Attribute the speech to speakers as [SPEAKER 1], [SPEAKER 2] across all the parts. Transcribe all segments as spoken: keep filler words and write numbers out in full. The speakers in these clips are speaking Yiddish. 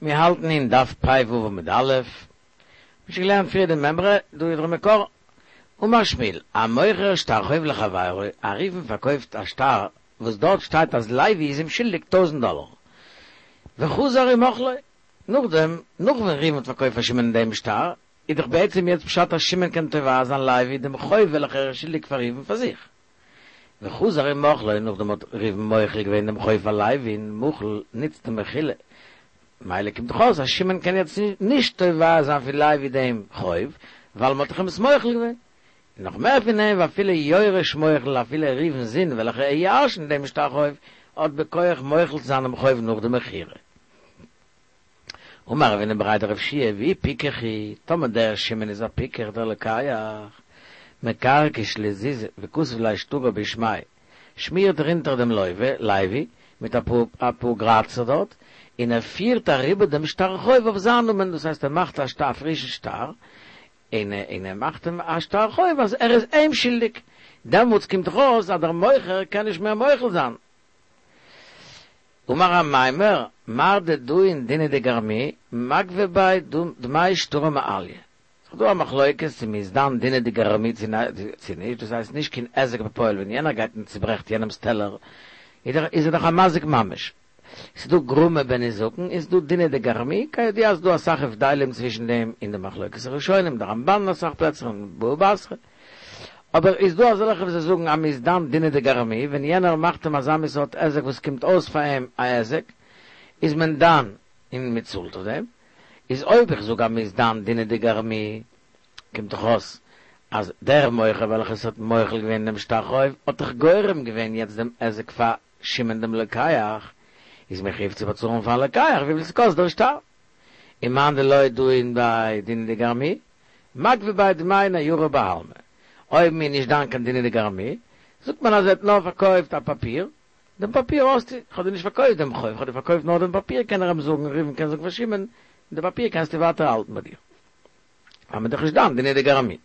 [SPEAKER 1] מיר האלטן אין דף פ"ו עמוד א', מ'האט שוין געלערנט פריער די מימרא, דא איז דער מקור. אמר שמואל, המוכר שטר חוב לחבירו, א ראובן פארקויפט א שטר וואס דארט שטייט אז לוי איז אים שולדיג טויזנט דאלער, וחזר ומחלו, נאכדעם, נאך ווען ראובן האט פארקויפט פאר שמעון דעם שטר, איז דאך בעצם יעצט פשט אז שמעון קען תובע זיין לוי דעם חוב וועלכער ער איז שולדיג פאר ראובן פאר זיך. וחזר ומחלו, נאכדעם האט ראובן מוחל געווען דעם חוב פאר לוי'ן, מחל נוצט די מחילה, מילא קומט דאך אויס אז שמעון קען יעצט נישט תובע זיין פון לוי דעם חוב, ווייל מ'האט דאך אים עס מוחל געווען. און נאך מער פון דעם, ואפילו יורש מוחל, אפילו ראובן'ס זון וועלכער ער ירש'נט דעם שטר חוב, האט בכח מוחל צו זיין דעם חוב נאך די מכירה. אמר רב הונא בריה דרב יהושע ואי פיקח הוא, טאמער דער שמעון איז א פיקח דער לוקח, מקרקש ליה זוזי וכתב ליה שטרא בשמיה, שמירט ער אונטער דעם לוה, לוי, מיט אפאר אפאר גראצער דארט, און ער פירט אריבער דעם שטר חוב אויף זיין נאמען, דאס הייסט ער מאכט א שטר א פרישן שטר, און און ער מאכט אים א שטר חוב אז ער איז אים שולדיג, דעמאלטס קומט דאך אויס אז דער מוכר קען נישט מער מוחל זיין. אמר אמימר, מר דדאין דינא דגרמי, מגבי ביה דמי שטרא מעליא. ס'איז דא א מחלוקת צו מ'איז דן דינא דגרמי צו נישט, דאס הייסט נישט קיין היזק בפועל, ווען יענער גייט און צוברעכט יענעמ'ס טעלער איז ער דאך א מזיק ממש. ס'איז דא גרמא בנזקין און ס'איז דא דינא דגרמי, כידוע אז ס'דא אסאך הבדלים צווישן דעם אין די מחלוקת הראשונים, די רמב"ן אין אסאך פלעצער און בבא בתרא. אבער איז דא אזעלכע וואס זיי זאגן אז מ'איז דן דינא דגרמי, ווען יענער מאכט אים אזא מין סארט היזק וואס קומט אויס פאר אים א היזק, איז מען דן און מ'צאלט אויף דעם. איז אויב איך זאג אז מ'איז דן דינא דגרמי, קומט דאך אויס אז דער מוכר וועלכער ס'האט מוחל געווען דעם שטר חוב האט דאך גורם געווען יעצט דעם היזק פאר שמעון דעם לוקח, איז מחויב צו באצאלן פארן לוקח וויפיל ס'קאסט דער שטר. און מאן דלא דאין ביה דינא דגרמי, מגבי ביה דמי ניירא בעלמא. אויב מ'איז נישט דן קיין דינא דגרמי, זאגט מען אז ער האט נאר פארקויפט א פאפיר, דעם פאפיר האסטו, כ'האב דיר נישט פארקויפט דעם חוב, כ'האב דיר פארקויפט נאר דעם פאפיר, קען ער אים זאגן, ראובן קען זאגן פאר שמעון, די פאפיר קענסטו ווייטער האלטן ביי דיר. ווייל מ'איז דאך נישט דן דינא דגרמי.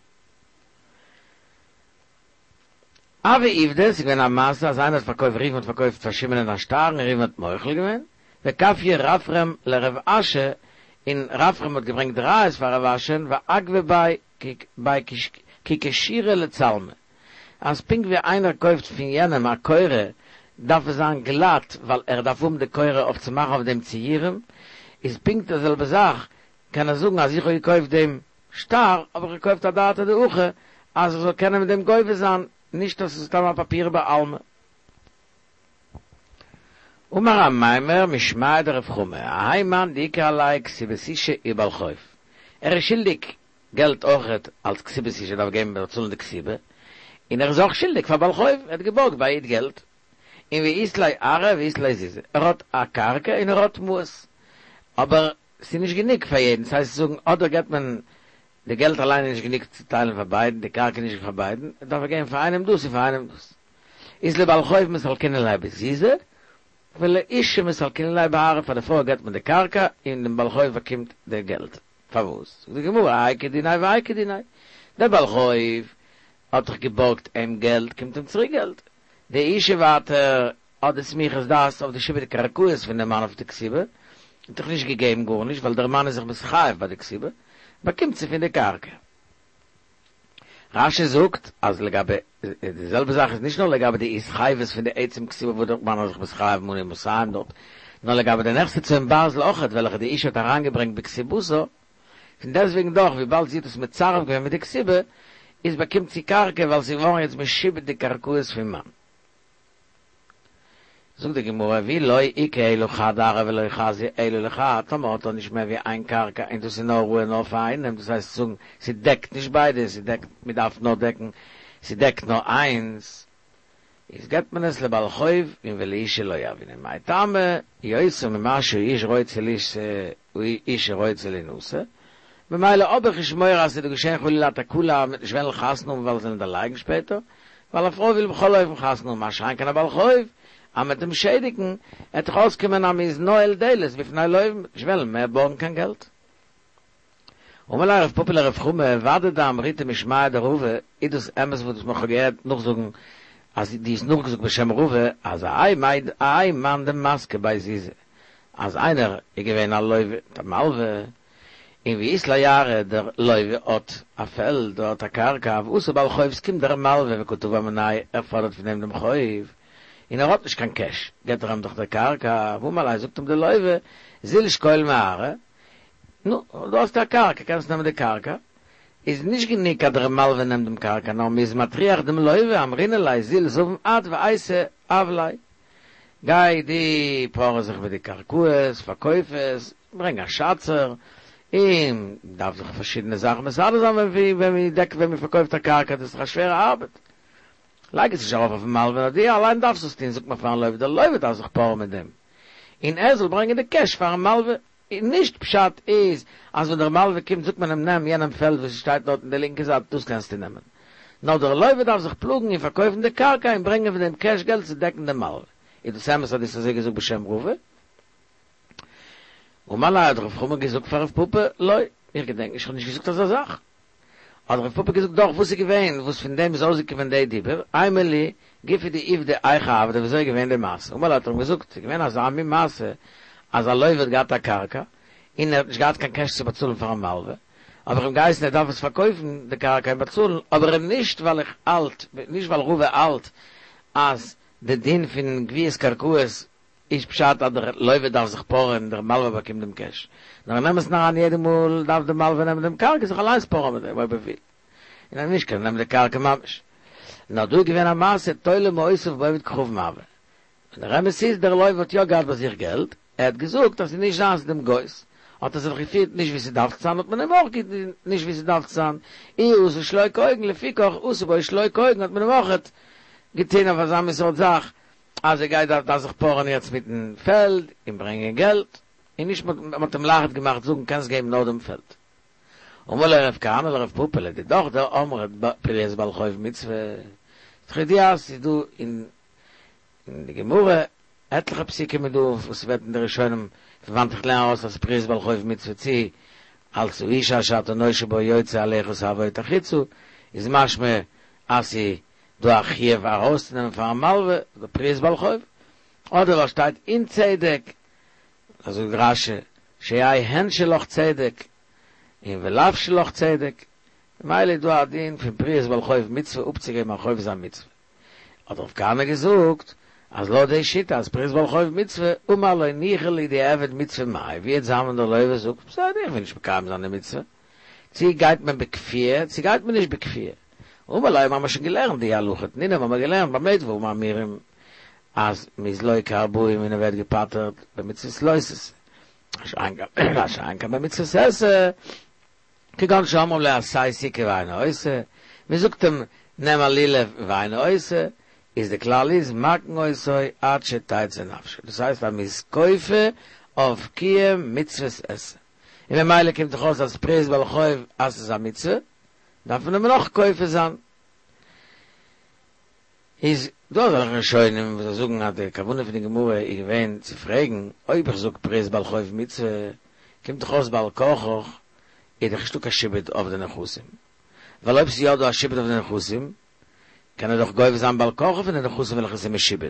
[SPEAKER 1] הוה עובדא, ס'איז געווען א מעשה אז איינער האט פארקויפט, ראובן האט פארקויפט פאר שמעונ'ען א שטר און ראובן האט מוחל געווען, וכפייה רפרם לרב אשי, און רפרם האט געברענגט ראיות פאר רב אשי'ן, ואגבי ביה כי קשירא לצלמא, אז פונקט ווי איינער קויפט פון יענעם א קורה דארף עס זיין גלאט ווייל ער דארף האבן די קורה אויף צו מאכן אויף דעם ציורים, איז פונקט די זעלבע זאך קען ער זאגן אז איך האב געקויפט דעם שטר האב איך געקויפט אדעתא דהכי אז איך זאל קענען מיט דעם גובה זיין, נישט אז ס'איז סתם א פאפיר בעלמא. אמר אמימר משמיה דרב חמא, האי מאן דאיכא עליה כתובת אשה ובעל חוב, ער איז שולדיג געלט אויכעט אלס כתובת אשה דארף געבן באצאלן די כתובה, און ער איז אויך שולדיג פאר בעל חוב, ער האט געבארגט ביי א איד געלט, און ואית ליה ארעא ואית ליה זוזי, ער האט א קרקע און ער האט מעות, אבער ס'איז נישט גענוג פאר יעדן, ס'הייסט צו זאגן אדער געבט מען די געלט אליין איז נישט גענוג צו טיילן פאר ביידן, די קרקע איז נישט פאר ביידן, דארף ער געבן פאר איינעם דאס און פאר איינעם דאס. איז לבעל חוב מסלקינן ליה בזוזי, ולאשה מסלקינן ליה בארעא, פאר די פרוי געבט מען די קרקע און דעם בעל חוב באקומט די געלט. פארוואס? זאגט די גמרא, האי כדיניה והאי כדיניה. דער בעל חוב האט דאך געבארגט אים געלט, קומט אים צוריק געלט. די אשה ווייטער האט די סמיכות דעת אויף די שעבוד קרקעות פון דעם מאן אויף די כתובה, האט דאך נישט געגעבן גארנישט ווייל דער מאן איז זיך מתחייב ביי די כתובה, באקומט זי פון די קרקע. רש"י זאגט אז לגבי די זעלבע זאך איז נישט נאר לגבי די התחייבות פון די עצם כתובה וואס דער מאן איז זיך מתחייב מנה מאתים דארט, נאר לגבי די נכסי צאן ברזל אויכעט וועלכע די אשה האט אריינגעברענגט בכתובתה, פון דעסטוועגן דאך וויבאלד זי האט עס מצרף געווען מיט די כתובה, איז באקומט זי קרקע ווייל ס'איז געווארן יעצט משועבד די קרקעות פון מאן. זאגט די גמרא ואי לא איכא אלא חד ארעא ולא חזיא אלא לחד, טאמער האט ער נישט מער ווי איין קרקע און דאס איז נאר ראוי נאר פאר איינעם, דאס הייסט צו זאגן ס'דעקט נישט ביידע, ס'דעקט מ'דארף נאר דעקן, ס'דעקט נאר איינס, איז געבט מען עס לבעל חוב און ולאשה לא יהבינן, מאי טעמא, יותר ממה שהאיש רוצה לישא האשה רוצה לינשא, ממילא האב איך נישט מורא אז ס'וועט דא געשען חלילה א תקלה מ'וועט נישט וועלן חתונה האבן ווייל זיי וועלן דערלייגן שפעטער, ווייל א פרוי וויל בכל אופן חתונה האבן מה שאין כן א בעל חוב, אז מ'וועט אים שעדיגן, עט דאך אויסקומען אז מ'איז נועל דלת בפני לווים, מ'וועט נישט וועלן מער בארגן קיין געלט. אמר ליה רב פפא לרב חמא, ודאי דאמריתו משמיה דרבא, איז דאס אמת וואס מ'האט געהערט נאכזאגן אז דו האסט נאכגעזאגט בשם רבא אז האי מאן דמסקי ביה זוזי, אז איינער איז געווען א לוה מיט א מלווה, און ואית ליה ארעא, דער לוה האט א פעלד, האט א קרקע, ואתא בעל חוב, ס'קומט דער מלווה וקא תבע מיניה, ער פאדערט פון אים דעם חוב, און ער האט נישט קיין קעש, געט ער אים דאך דער קרקע, ואמר ליה, זאגט אים דער לוה, זיל שקול מארעא, נו, דא האסטו א קרקע, קענסט נעמען די קרקע, איז נישט גענוג אז דער מלווה נעמט דעם קרקע, נאר מ'איז מטריח דעם לוה, אמרינן ליה, זיל זבין את ואייתי עווליה. גיי דו פארע זיך מיט די קרקעות, פארקויף עס, ברענג א שאצער, און מ'דארף זיך פארשידענע זאכן מסדר זיין ווען מ'דעקט ווען מ'פארקויפט א קרקע, דאס איז דאך א שווערע ארבעט. לייג עס נישט ארויף אויפן מלווה, נאר דו אליין דארפסט עס טון, זאגט מען פארן לוה, דער לוה דארף זיך פארען מיט דעם, און ער זאל ברענגען די קעש פארן מלווה. און נישט פשט איז אז ווען דער מלווה קומט זאגט מען אים נעם יענעם פעלד וואס שטייט דארט אין די לינקע זייט דאס קענסטו נעמען, נאר דער לוה דארף זיך פלאגן און פארקויפן די קרקע און ברענגען פון דעם קעש געלט צו דעקן דעם מלווה. איז דאס אמת אז דו האסט אזוי געזאגט בשם רבא? אמר ליה האט רב חמא געזאגט פאר רב פפא, לא, איך געדענק נישט איך האב נישט געזאגט אזא זאך. האט רב פפא געזאגט דאך וואס איז געווען וואס פון דעם איז אויסגעקומען די דיבור, אימא לי גופא דעובדא היכי עבדי ווי אזוי איז געווען די מעשה, אמר ליה האט ער אים געזאגט ס'איז געווען אזא מין מעשה אז א לוה האט געהאט א קרקע און ער האט נישט געהאט קיין קעש צו באצאלן פארן מלווה, האב איך אים געהייסן ער דארף עס פארקויפן די קרקע און באצאלן, אבער נישט ווייל איך האלט, נישט ווייל רבא האלט אז די דין פון גביית קרקעות איז פשט אז דער לוה דארף זיך פארען און דער מלווה באקומט דעם קעש, נאר אין אמת'ן אריין יעדע מאל דארף דער מלווה נעמען דעם קרקע זיך אליינס פארען מיט דעם אויב ער וויל, און אז נישט קען ער נעמען די קרקע ממש. נאר דא איז געווען א מעשה תולה מעותיו בעובד כוכבים הוה, און דער אמת איז דער לוה האט יא געהאט ביי זיך געלט, ער האט געזאגט אז ס'איז נישט זיינס דעם גוי'ס, האט ער זיך געפירט נישט ווי ס'דארף צו זיין האט מען אים אויך געטון נישט ווי ס'דארף צו זיין, איהו עשה שלא כהוגן לפיכך עשו בו שלא כהוגן האט מען אים אויך געטון אויף אזא מין סארט זאך אז ער גייט דארף זיך פארען יעצט מיטן פעלד און ברענגען געלט, און נישט מען האט אים לייכט געמאכט זאגן קענסט געבן נאר דעם פעלד. אמר ליה רב כהנא לרב פפא לדידך דאמרת פריעת בעל חוב מצוה, ס'איז דאך ידוע אז ס'איז דא אין אין די גמרא עטליכע פסוקים איז דא וואס ווערט אין די ראשונים פון וואנעט איך לערן ארויס אז פריעת בעל חוב מצוה צו אלס האיש אשר אתה נושה בו יוצא אליך תעבוט החוצה איז משמע אז ס'איז דא א חיוב ארויסצונעמען פארן מלווה די פריעת בעל חוב אדער ווייל שטייט אין צדק אזוי זאגט רש"י שיהא הן שלך צדק און ולאו שלך צדק ממילא איז דא א דין פון פריעת בעל חוב מצוה אפצוגעבן א חוב איז א מצוה. האט רב כהנא געזאגט אז לויט די שיטה אז פריעת בעל חוב מצוה, אמר לא ניחא לי דיעבד מצוה מאי, ווי וועט זיין ווען דער לוה זאגט בסדר איך וויל נישט מקיים זיין די מצוה, צו גייט מען בכפייה צו גייט מען נישט בכפייה, אמר ליה האבן מיר שוין געלערנט די הלכה תנינא האבן מיר געלערנט במה דברים אמורים אז מ'איז לוקה ארבעים און ער ווערט געפטר'ט במצוות לא תעשה, מה שאין כן במצוות עשה. כגון שאומרים לו עשה סוכה ואינו עושה, מען זאגט אים נעם א לולב ואינו עושה, איז די כלל איז מכין אותו עד שתצא נפשו, דאס הייסט אז מען איז כופה אויף קיום מצוות עשה, און ממילא קומט דאך אויס אז פריעת בעל חוב אז ס'איז א מצוה דארף מען אים נאך כופה זיין. איז דא אזעלכע ראשונים וואס זאגן אז די כוונה פון די גמרא איז געווען צו פרעגן, אויב איך זאג פריעת בעל חוב מצוה, קומט דאך אויס בעל כרחך איז דאך נישטא קיין שעבוד אויף די נכסים, ווייל אויב ס'איז יא דא א שעבוד אויף די נכסים, קען ער דאך גובה זיין בעל כרחו פון די נכסים וועלכע ס'איז משועבד,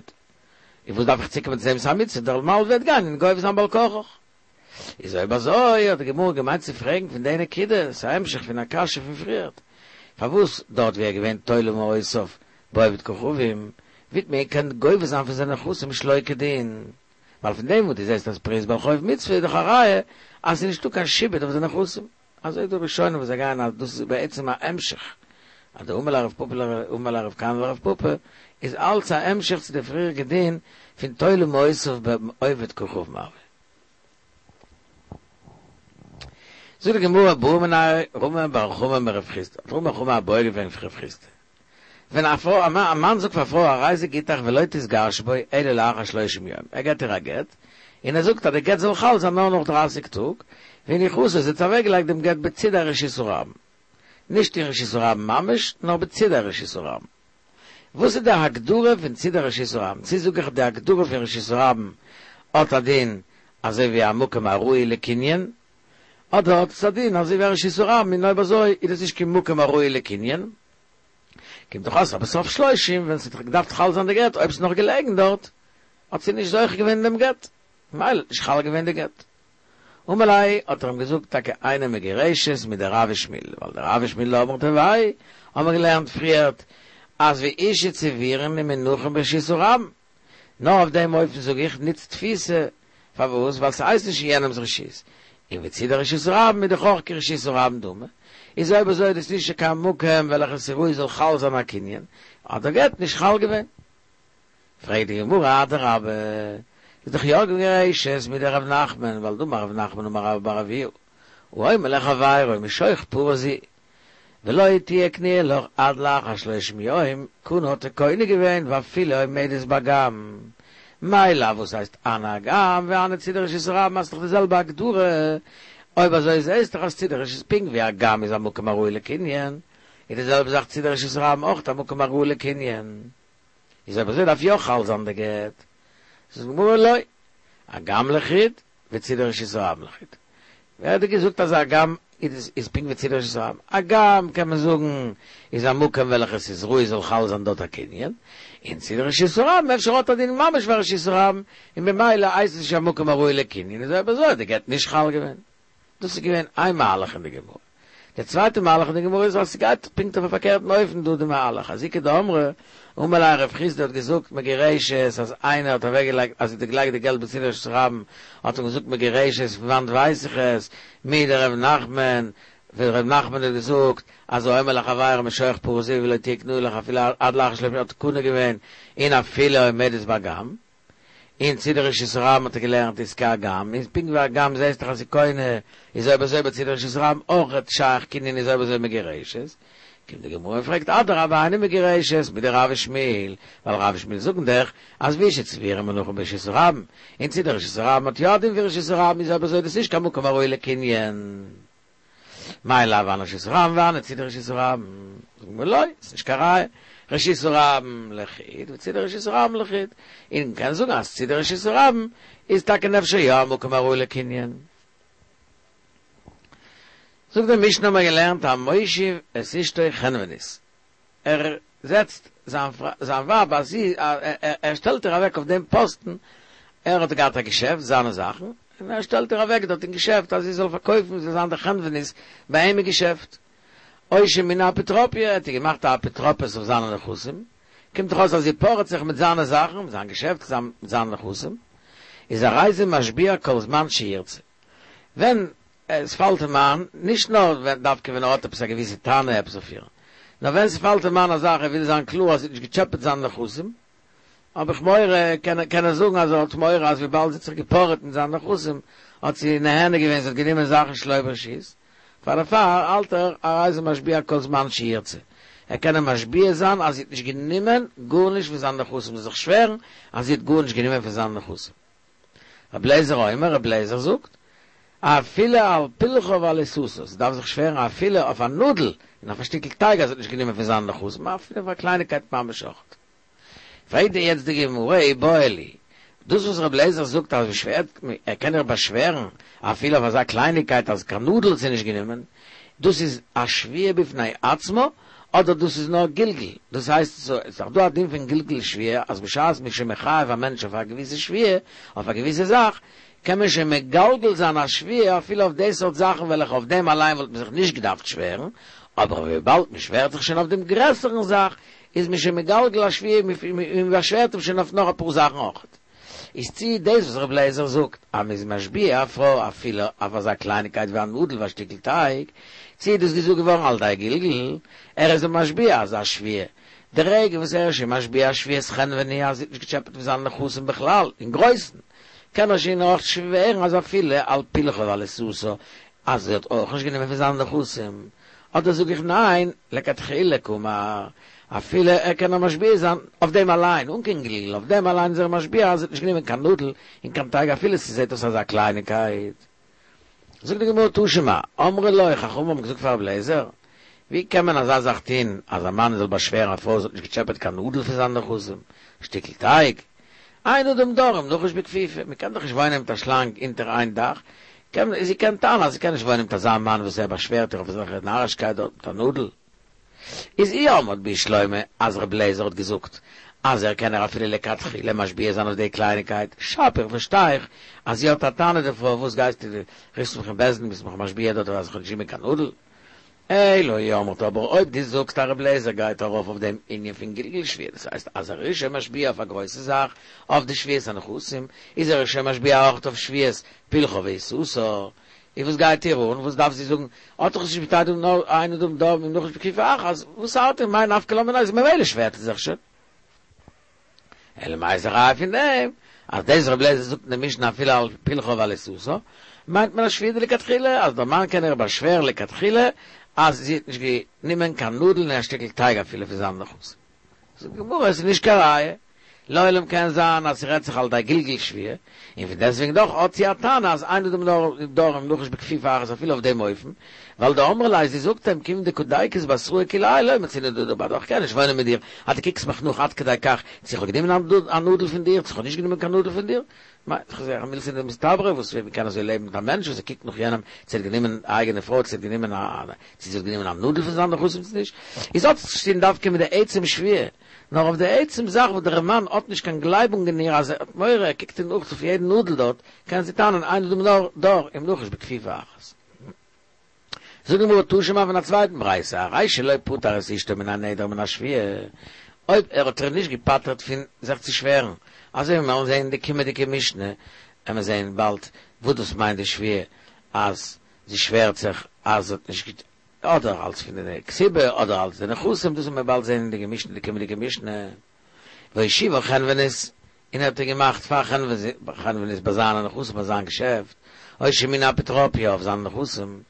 [SPEAKER 1] און וואס דארף איך צוקומען צו דעם ס'איז א מצוה, דער מלווה וועט גיין און גובה זיין בעל כרחך. איז אויב אזוי האט די גמרא געמיינט צו פרעגן פון די נקודה, ס'איז א המשך פון א קשיא פון פריערט, פארוואס דארט ווי ער איז געווען תולה מעותיו בעובד כוכבים, ווי האט מען געקענט גובה זיין פון זיינע נכסים שלא כדין, ווייל פון דעם וואס דו זעסט אז פריעת בעל חוב מצוה איז דאך א ראיה אז ס'איז נישטא קיין שעבוד אויף די נכסים. אזוי איז דא ראשונים וואס זיי גייען אז דאס איז בעצם א המשך, אז די אמר ליה רב פפא אמר ליה רב כהנא לרב פפא איז אלץ א המשך צו די פריעריגע דין פון תולה מעותיו בעובד כוכבים הוה. זאגט די גמרא בעא מיניה רמי בר חמא מרב חסדא, האט רמי בר חמא א בעיא געפרעגט פון רב חסדא, ווען א פרוי, א מאן זאגט פאר א פרוי הרי זה גיטך ולא תתגרשי בו אלא לאחר שלושים יום, ער געבט איר א גט, און ער זאגט אז די גט זאל חל זיין נאר נאך דרייסיג טאג, והניחתו, זי האט אוועקגעלייגט דעם גט בצידי רשות הרבים, נישט אין רשות הרבים ממש, נאר בצידי רשות הרבים. וואס איז די הגדרה פון צידי רשות הרבים? צו זאג איך די הגדרה פון רשות הרבים האט א דין אזוי ווי א מקום הראוי לקנין, אדער האט עס א דין אזוי ווי א רשות הרבים און אויב אזוי איז דאס נישט קיין מקום הראוי לקנין? קומט דאך אויס אז בסוף שלושים ווען ס'האט געדארפט חל זיין די גט אויב ס'איז נאך געלעגן דארט האט זי נישט זוכה געווען אין דעם גט. ממילא נישט חל געווען די גט. אמר ליה האט ער אים געזאגט טאקע אינה מגורשת מדרב ושמואל, ווייל דרב ושמואל דאמרי תרוייהו האבן מיר געלערנט פריערט אז ואשה צבורין ומונחין ברשות הרבים, נאר אויף דעם אופן זאג איך ניץ תפיסה, פארוואס? ווייל ס'הייסט נישט אין יענעמ'ס רשות, און וצידי רשות הרבים איז דאך אויך כרשות הרבים דמי, איז אויב אזוי איז דאס נישט קיין מקום וועלכע ס'ראוי זאל חל זיין א קנין, האט דער גט נישט חל געווען. פרעגט די גמרא אדרבה, איז דאך יא מגורשת מדרב נחמן, ווייל דאמר רב נחמן אמר רבה בר אבוה, האומר לחבירו משוך פרה זו, ולא תהיה קנויה לך עד לאחר שלושים יום, קנה האט ער קונה געווען ואפילו עומדת באגם. מאי לאו וואס הייסט הני אגם והני צידי רשות הרבים אז ס'דאך די זעלבע הגדרה, אויב אזוי זעהסט דאך אז צידי רשות פונקט ווי אגם איז א מקום הראוי לקנין, איז די זעלבע זאך צידי רשות הרבים אויך א מקום הראוי לקנין. איז אויב אזוי דארף יא חל זיין די גט. זאגט די גמרא לא, אגם לחוד וצידי רשות הרבים לחוד. ווער האט דיר געזאגט אז אגם איז איז פונקט ווי צידי רשות הרבים? אגם קען מען זאגן איז א מקום וועלכע ס'איז ראוי זאל חל זיין דארט א קנין, און צידי רשות הרבים אפשר האט א דין ממש ווי רשות הרבים, און במילא הייסט עס נישט א מקום הראוי לקנין, איז אויב אזוי האט די גט נישט חל געווען. דאס איז געווען איין מהלך אין די גמרא. דער צווייטער מהלך אין די גמרא איז אז ס'גייט פונקט אויף א פארקערטן אופן דא די מהלך, אז איכא דאמרי, אמר ליה רב חסדא האט געזאגט מגורשת אז איינער האט אוועקגעלייגט אז זי האט געלייגט די געלט בצידי רשות הרבים האט ער געזאגט מגורשת פון וואנט ווייס איך עס מדרב נחמן ווען ר' נחמן האט געזאגט אז האומר לחבירו משוך פרה זו ולא תהיה קנויה לך אפילו עד לאחר שלושים האט קונה געווען און אפילו עומדת באגם און צידי רשות הרבים האט ער געלערנט איז כאגם, און פונקט ווי אגם זעסט דאך אז ס'איז קונה, איז אויב אזוי בצידי רשות הרבים אויכעט שייך קנין איז אויב אזוי מגורשת, קומט די גמרא און פרעגט אדרבה אינה מגורשת מדרב ושמואל, ווייל רב ושמואל זאגן דאך אז ואשה צבורה ומונחה ברשות הרבים, און צידי רשות הרבים האט יא א דין ווי רשות הרבים איז אויב אזוי דאס נישט קיין מקום הראוי לקנין. מאי לאו הני רשות הרבים והני צידי רשות הרבים, זאגט די גמרא לא, ס'נישט קיין ראיה, רשות הרבים לחוד וצידי רשות הרבים לחוד, און מ'קען זאגן אז צידי רשות הרבים איז טאקע אפשר יא א מקום הראוי לקנין. זאגט די משנה האבן מיר געלערנט המושיב את אשתו חנונית, ער זעצט זיין ווייב אז זי, ער שטעלט איר אוועק אויף דעם פאסטן, ער האט געהאט א געשעפט, זיינע זאכן, און ער שטעלט איר אוועק דארט אין געשעפט אז זי זאל פארקויפן, זי זאל זיין די חנונית ביי אים אין געשעפט. או שמינה אפוטרופיא, ער האט איר געמאכט א אפוטרופוס אויף זיינע נכסים, קומט דאך אויס אז זי פארעט זיך מיט זיינע זאכן, מיט זיין געשעפט, מיט זיינע נכסים, איז הרי זה משביע כל זמן שירצה. ווען עס פאלט אים איין, נישט נאר ווען דווקא ווען ער האט עפעס א געוויסע טענה עפעס אויף איר, נאר ווען ס'פאלט אים איין א זאך ער וויל זיין קלאר אז זי האט נישט געטשעפעט זיינע נכסים, האב איך מורא, קען קען ער זאגן אז ער האט מורא אז וויבאלד זי האט זיך געפארעט מיט זיינע נכסים האט זי נהנה געווען, זי האט גענומען זאכן שלא ברשות, פאר דערפאר האלט ער הרי זה משביע כל זמן שירצה, ער קען אים משביע זיין אז זי האט נישט גענומען גארנישט פון זיינע נכסים, זאל זיך שווערן אז זי האט גארנישט גענומען פון זיינע נכסים. רבי אליעזר אומר, רבי אליעזר זאגט, אפילו על פלחה ועל עיסתה, זי דארף זיך שווערן אפילו אויף א נאדל און אויף א שטיקל טייג אז זי האט נישט גענומען פון זיינע נכסים, אפילו אויף א קלייניקייט ממש אויך. פרעגט יעצט די גמרא איבעיא להו, דאס וואס רבי אליעזר זאגט אז מ'שווערט, ער קען איר באשווערן אפילו אויף אזא קלייניקייט אז קיין נאדל האט זי נישט גענומען, דאס איז א שבועה בפני עצמה, אדער דאס איז נאר גלגול, דאס הייסט ס'איז דאך דא א דין פון גלגול שבועה אז בשעת מ'איז שוין מחייב א מענטש אויף א געוויסע שבועה, אויף א געוויסע זאך, קען מען שוין מגלגל זיין א שבועה אפילו אויף די סארט זאכן וועלכע אויף דעם אליין וואלט מען זיך נישט געדארפט שווערן, אבער וויבאלד מען שווערט זיך שוין אויף דעם גרעסערן זאך, איז מען שוין מגלגל א שבועה און באשווערט אים שוין אויף נאך אפאר זאכן אויכעט. איז צי דאס וואס רבי אליעזר זאגט אז מ'איז משביע א פרוי אפילו אויף אזא קלייניקייט ווי א נאדל ווי א שטיקל טייג, צי איז דאס געזאגט געווארן על ידי גלגול, ער איז אים משביע אזא שבועה, די רגע וואס ער איז שוין משביע א שבועת חנווני אז זי האט נישט געטשעפעט פון זיינע נכסים בכלל, אין גרויסן, קען ער שוין אויך שווערן אז אפילו על פלחה ועל עיסתה אז זי האט אויך נישט גענומען פון זיינע נכסים, אדער זאג איך ניין, לכתחילה קאמר, אפילו ער קען נאר משביע זיין אויף דעם אליין, אן קיין גלגול, אויף דעם אליין איז ער משביע אז זי האט נישט גענומען קיין נאדל און קיין טייג אפילו ס'זעט אויס אזא קלייניקייט. זאגט די גמרא תא שמע, אמרו לו, חכמים האבן געזאגט פאר רבי אליעזר, ווי קען מען אזא זאך טון אז א מאן זאל באשווערן א פרוי זי האט נישט געטשעפעט קיין נאדל פון זיינע נכסים, שטיקל טייג? אין אדם דר עם נחש בכפיפה, מען קען דאך נישט וואוינען מיט א שלאנג אונטער איין דאך, קען זי קען טענה'ן אז זי קען נישט וואוינען מיט אזא מאן וואס ער באשווערט איר אויף אזעלכע נארישקייט דארט מיט א נאדל. איז אי אמרת בשלמא אז ר' אליעזר האט געזאגט אז ער קען איר אפילו לכתחילה משביע זיין אויף די קלייניקייט, שפיר, פארשטיי איך, אז זי האט א טענה דערפאר, וואס גייסטו, רופסט מיך אין בית דין, ביסט מיך משביע דארט, אז איך האב נישט גענומען קיין נאדל? אלא אי אמרת, אבער אויב דו זאגסט אז ר' אליעזר גייט ארויף אויף דעם ענין פון גלגול שבועה, דאס הייסט אז ער איז שוין משביע אויף א גרויסע זאך, אויף די שבועת הנכסים, איז ער שוין משביע אויך אויף שבועת פלחה ועיסתה. און וואס גייט איר אן? וואס דארף זי זאגן? האט דאך נישט מיט דעם נאר אין אדם דר עם נחש בכפיפה אחת, וואס ארט איר מאי נפקא לה מינה, איז ממילא שווערט זי זיך שוין. אלא מאי איז א ראיה פון דעם אז דאס ר' אליעזר זאגט אין די משנה אפילו על פלחה ועל עיסתה, מיינט מען א שבועה דלכתחילה, אז דער מאן קען איר באשווערן לכתחילה אז זי האט נישט גענומען קיין נאדל און א שטיקל טייג אפילו פון זיין נכסים. זאגט די גמרא עס איז נישט קיין ראיה, לעולם קען זיין אז ס'רעדט זיך על ידי גלגול שבועה, און פון דעסטוועגן דאך האט זי א טענה אז אין אדם דר עם נחש בכפיפה אחת אפילו אויף דעם אופן, ווייל דאמרה ליה זי זאגט אים כיון דקא דייקת בתראי כולי האי לא מצינא דאדור בהדך איך קען נישט וואוינען מיט דיר אז דו קוקסט מיך נאך עד כדי כך צו איך האב גענומען א נאדל פון דיר צו איך האב נישט גענומען קיין נאדל פון דיר, ס'איז מילתא דמסתברא וואס ווי מ'קען אזוי לעבן מיט א מענטש וואס ער קוקט נאך יענעם צו ער האט גענומען א אייגענע פרוי צו ער האט גענומען א צו זי האט גענומען א נאדל פון זיין נכסים צו נישט, איז האט עס נישט צו טון דווקא מיט די עצם שבועה, נאר אויף די עצם זאך וואס דער מאן האט נישט קיין גלייבונג אין איר אז ער האט מורא ער קוקט איר נאך אויף יעדן נאדל דארט, קען זי טענה'ן אין אדם נאר דר עם נחש בכפיפה אחת. זאגט די גמרא תא שמע פון א צווייטן ברייתא, הרי שלא פטר את אשתו מן הנדר ומן השבועה, אויב ער האט איר נישט געפטר'ט פון זיך צו שווערן, אזוי ווי מיר וועלן זען אין די קומענדיגע משנה, וועלן מיר זען באלד וואס דאס מיינט די שבועה, אז זי שווערט זיך אז זי האט נישט אדער אלס פון די כתובה אדער אלס די נכסים, דאס וועלן מיר באלד זען אין די משנה די קומענדיגע משנה, והושיבה חנונית, און ער האט איר געמאכט פאר חנונית ביי זיינע נכסים ביי זיין געשעפט, או שמינה אפוטרופיא אויף זיינע נכסים,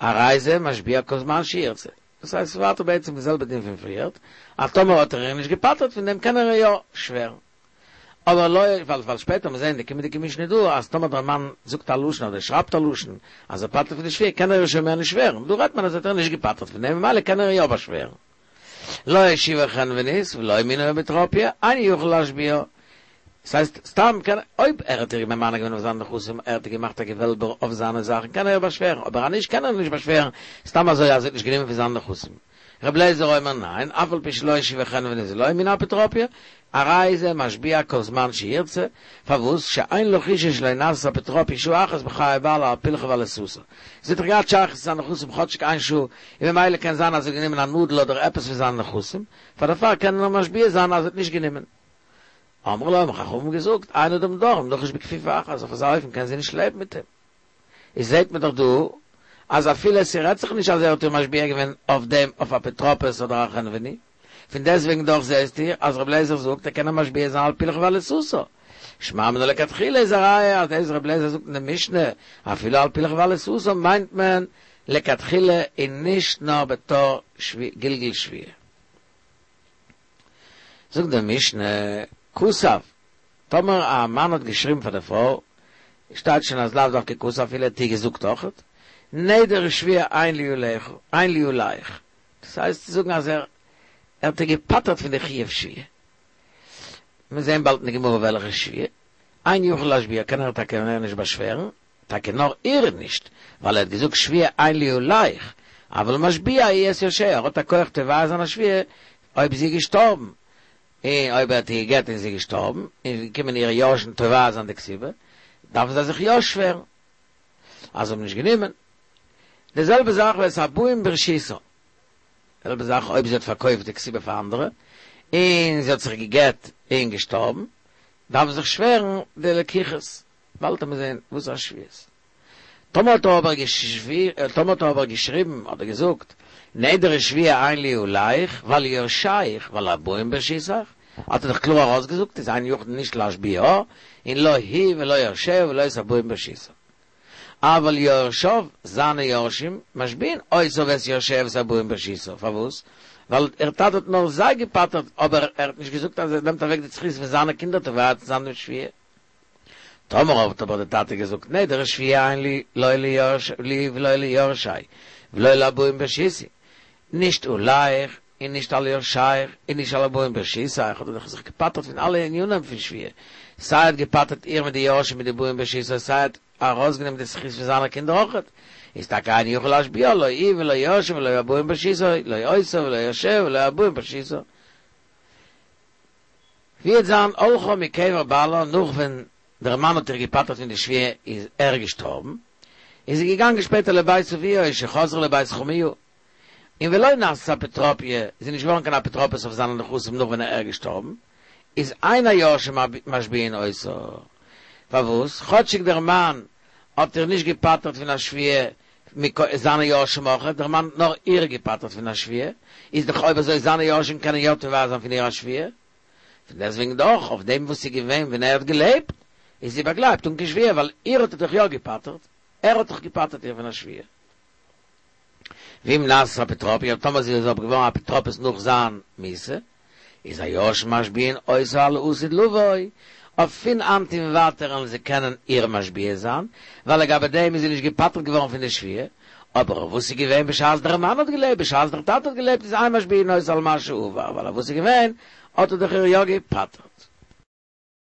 [SPEAKER 1] הרי זה משביע כל זמן שירצה. דאס הייסט ס'איז ווייטער בעצם די זעלבע דין פון פריערט, אז טאמער האט ער איר נישט געפטר'ט פון דעם קען ער איר יא שווערן. אבער לא, ווייל ווייל שפעטער מיר זעהן די קומענדיגע משנה דא אז טאמער דער מאן זאגט א לשון אדער שרייבט א לשון אז ער פטר'ט פון די שבועה קען ער איר שוין מער נישט שווערן, דא רעדט מען אז ער האט איר נישט געפטר'ט פון דעם ממילא קען ער איר יא באשווערן. לא הושיבה חנונית ולא מינה אפוטרופיא, אינו יכול להשביעה. ס'הייסט, סתם קען, אויב ער האט איר ממנה געווען אויף זיינע נכסים, ער האט איר געמאכט א געוועלבער אויף זיינע זאכן, קען ער איר באשווערן, אבער אז נישט קען ער איר נישט באשווערן סתם אזוי אז ער האט נישט גענומען פון זיינע נכסים. ר' אליעזר אומר ניין, אף על פי שלא הושיבה חנונית ולא מינה אפוטרופיא, הרי זה משביע כל זמן שירצה, פארוואס שאין לה חשש שלא נעשית אפוטרופיא שעה אחת בחיי בעלה על פלחה ועל עיסתה. זי האט דאך געהאט שייכות צו זיינע נכסים כאטשיג איין שעה, און ממילא קען זיין אז זי האט גענומען א נאדל אדער עפעס פון זיינע נכסים, פאר דערפאר קען ער נאר משביע זיין אז זי האט נישט גענומען. אמרו לו האבן חכמים געזאגט, אין אדם דר עם נחש בכפיפה אחת, אויף אזא אופן קען זי נישט לעבן מיט אים. איז זעהט מען דאך דא אז אפילו ס'רעדט זיך נישט אז ער האט איר משביע געווען אויף דעם אויף אפוטרופוס אדער א חנווני, פון דעסטוועגן דאך זעהסטו אז רבי אליעזר זאגט ער קען איר משביע זיין על פלחה ועל עיסתה. שמע מינה לכתחילה איז א ראיה אז דאס רבי אליעזר זאגט אין די משנה אפילו על פלחה ועל עיסתה מיינט מען לכתחילה און נישט נאר בתור גלגול שבועה. זאגט די משנה, כתב, טאמער א מאן האט געשריבן פאר די פרוי, שטייט שוין אז לאו דווקא כתב אפילו ער האט איר געזאגט אויכעט, נדר ושבועה אין לי עליך, אין לי עליך, דאס הייסט צו זאגן אז ער האט איר געפטר'ט פון די חיוב שבועה. מיר זעהן באלד אין די גמרא וועלכע שבועה, אינו יכול להשביעה קען ער טאקע מער נישט באשווערן, טאקע נאר איר נישט, ווייל ער האט געזאגט שבועה אין לי עליך, אבל משביע הוא את יורשיה, ער האט א כח תובע זיין א שבועה אויב זי איז געשטארבן, און אויב ער האט איר גע'גט און זי איז געשטארבן, און איז געקומען אירע יורשים תובע זיין די כתובה, דארפן זיי זיך יא שווערן אז זיי האבן נישט גענומען. די זעלבע זאך ואת הבאים ברשותה, די זעלבע זאך אויב זי האט פארקויפט די כתובה פאר אנדערע, און זי האט זיך גע'גט און געשטארבן, דארף זיך שווערן די לקוחות. באלד וועט מען זען וואס א שבועות. טאמער האט ער אבער טאמער האט ער אבער געשריבן אדער געזאגט נדר ושבועה אין לי עליך ועל יורשיך ועל הבאים ברשותך, האט ער דאך קלאר ארויסגעזאגט איז אינו יכול נישט להשביעה און לא היא ולא יורשיה ולא את הבאים ברשותה. אבל יורשיו, זיינע יורשים, משביעין אותה ואת יורשיה ואת הבאים ברשותה, פארוואס? ווייל ער טאטע האט נאר זיי געפטר'ט אבער ער האט נישט געזאגט אז ער נעמט אוועק די זכות פון זיינע קינדער תובע צו זיין דעם שבועה. טאמער האט אבער די טאטע געזאגט נדר ושבועה אין לי לא לי ולא ליורשי ולא לבאים ברשותי, נישט עליך און נישט על יורשיך און נישט על הבאים ברשותך, האט ער דאך זיך געפטר'ט פון אלע ענינים פון שבועה, סיי ער האט געפטר'ט איר מיט די יורשים מיט די באים ברשותה סיי ער האט ארויסגענומען די זכות פון זיינע קינדער אויכעט, איז טאקע אינו יכול להשביעה לא היא ולא יורשיה ולא הבאים ברשותה, לא אותה ולא יורשיה ולא הבאים ברשותה. ווי וועט זיין הלכה מקבר בעלה נאך ווען דער מאן האט איר געפטר'ט פון די שבועה איז ער געשטארבן, איז זי געגאנגען שפעטער לבית אביה או שחזרה לבית חמיה, און ולא נעשית אפוטרופיא, זי איז נישט געווארן קיין אפוטרופוס אויף זיינע נכסים נאך ווען ער איז געשטארבן, איז אין היורשים משביעין אותה. פארוואס? כאטשיג דער מאן האט איר נישט געפטר'ט פון א שבועה זיינע יורשים אויך, דער מאן האט נאר איר געפטר'ט פון א שבועה, איז דאך אויב אזוי זיינע יורשים קענען יא תובע זיין פון איר א שבועה. פון דעסטוועגן דאך, אויף דעם וואס איז געווען ווען ער האט געלעבט, איז זי באגלייבט אן קיין שבועה, ווייל איר האט ער דאך יא געפטר'ט, ער האט דאך געפטר'ט איר פון א שבועה. ואם נעשית אפוטרופיא, טאמער זי איז אבער געווארן אפוטרופוס נאך זיין מיתה, איז היורשים משביעין אותה על העתיד לבוא, אויף פון היינט און ווייטער וועלן זיי קענען איר משביע זיין, ווייל לגבי דעם איז זי נישט געפטר'ט געווארן פון די שבועה, אבער וואס איז געווען בשעת דער מאן האט געלעבט, בשעת דער טאטע האט געלעבט איז אין משביעין אותה על מה שעבר, ווייל וואס איז געווען, האט ער דאך איר יא געפטר'ט.